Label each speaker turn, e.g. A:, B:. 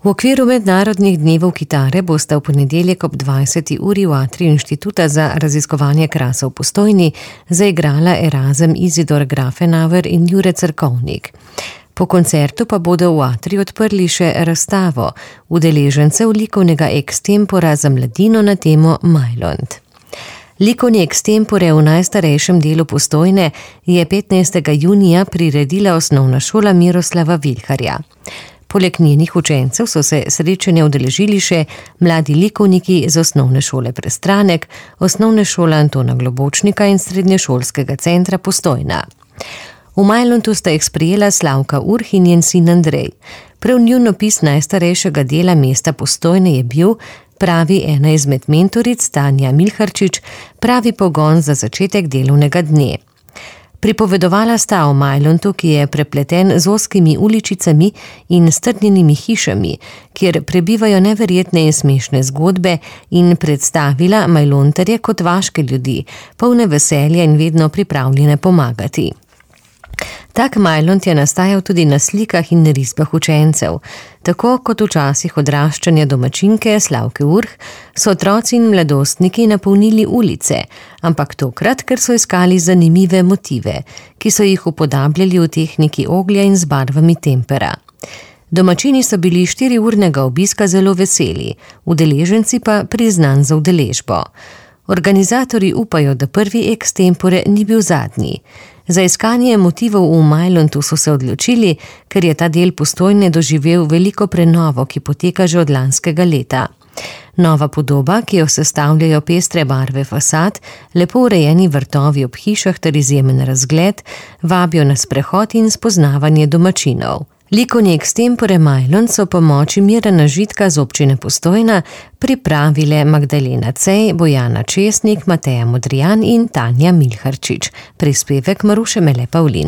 A: V okviru mednarodnih dnevov kitare bosta v ponedeljek ob 20. uri v atriju Inštituta za raziskovanje krasa v Postojni zaigrala Erazem Izidor Grafenauer in Jure Cerkovnik. Po koncertu pa bodo v atriju odprli še razstavo udeležencev likovnega ekstempora za mladino na temo Majlont. Likovni ekstempore v najstarejšem delu Postojne je 15. junija priredila osnovna šola Miroslava Vilharja. Poleg njenih učencev so se srečanja udeležili še mladi likovniki z osnovne šole Prestranek, osnovne šole Antona Globočnika in srednješolskega centra Postojna. V Majlontu sta jih sprejela Slavka Urh in njen sin Andrej. Prav njun opis najstarejšega dela mesta Postojne je bil, pravi ena izmed mentoric Tanja Milharčič, pravi pogon za začetek delovnega dne. Pripovedovala sta o Majlontu, ki je prepleten z ozkimi uličicami in strnjenimi hišami, kjer prebivajo neverjetne in smešne zgodbe, in predstavila Majlontarje kot vaške ljudi, polne veselja in vedno pripravljene pomagati. Tak Majlont je nastajal tudi na slikah in risbah učencev. Tako kot v časih odraščanja domačinke Slavke Urh so otroci in mladostniki napolnili ulice, ampak tokrat, ker so iskali zanimive motive, ki so jih upodabljali v tehniki oglja in z barvami tempera. Domačini so bili 4-urnega obiska zelo veseli, udeleženci pa priznan za udeležbo. Organizatorji upajo, da prvi ekstempore ni bil zadnji. Za iskanje motivov v Majlontu so se odločili, ker je ta del Postojne doživel veliko prenovo, ki poteka že od lanskega leta. Nova podoba, ki jo sestavljajo pestre barve fasad, lepo urejeni vrtovi ob hišah ter izjemen razgled, vabijo na sprehod in spoznavanje domačinov. Likovni ekstempore Majlont so pomoči Mirana Žitka z občine Postojna pripravile Magdalena Cej, Bojana Česnik, Mateja Modrijan in Tanja Milharčič. Prispevek Maruše Mele Pavlin.